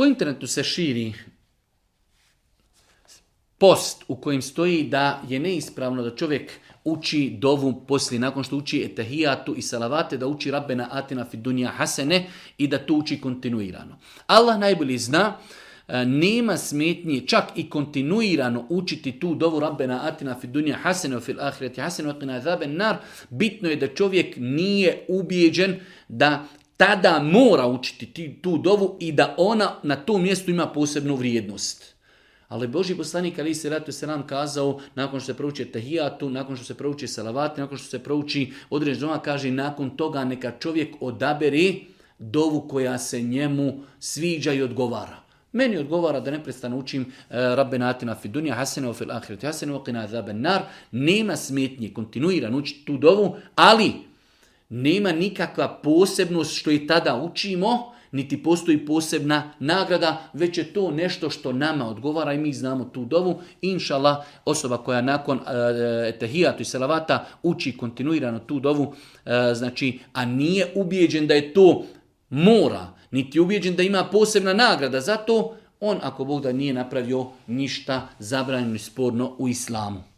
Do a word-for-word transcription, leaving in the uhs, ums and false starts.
Po internetu se širi post u kojem stoji da je neispravno da čovjek uči dovu poslije, nakon što uči etahijatu i salavate, da uči Rabbena atina fid dunja hasene i da to uči kontinuirano. Allah najbolje zna, nema smetnje čak i kontinuirano učiti tu dovu Rabbena atina fid dunja hasene wa fil ahireti hasene wa qina azaben nar. Bitno je da čovjek nije ubijeđen da tada mora učiti tu dovu i da ona na tom mjestu ima posebnu vrijednost. Ali Božji poslanik alejhi selatu vesselam kazao, nakon što se prouči tahijatu, nakon što se prouči salavati, nakon što se prouči određena dova, kaže nakon toga neka čovjek odabere dovu koja se njemu sviđa i odgovara. Meni odgovara da neprestano učim uh, Rabbena atina fid dunja hasene wa fil ahireti hasene wa qina azaben nar. Nema smetnje kontinuirano učiti tu dovu, ali nema nikakva posebnost što i tada učimo, niti postoji posebna nagrada, već je to nešto što nama odgovara i mi znamo tu dovu. Inšallah, osoba koja nakon uh, etahijatu i salavata uči kontinuirano tu dovu, uh, znači, a nije ubijeđen da je to mora, niti je ubijeđen da ima posebna nagrada, zato on, ako Bog da, nije napravio ništa zabranjeno i sporno u islamu.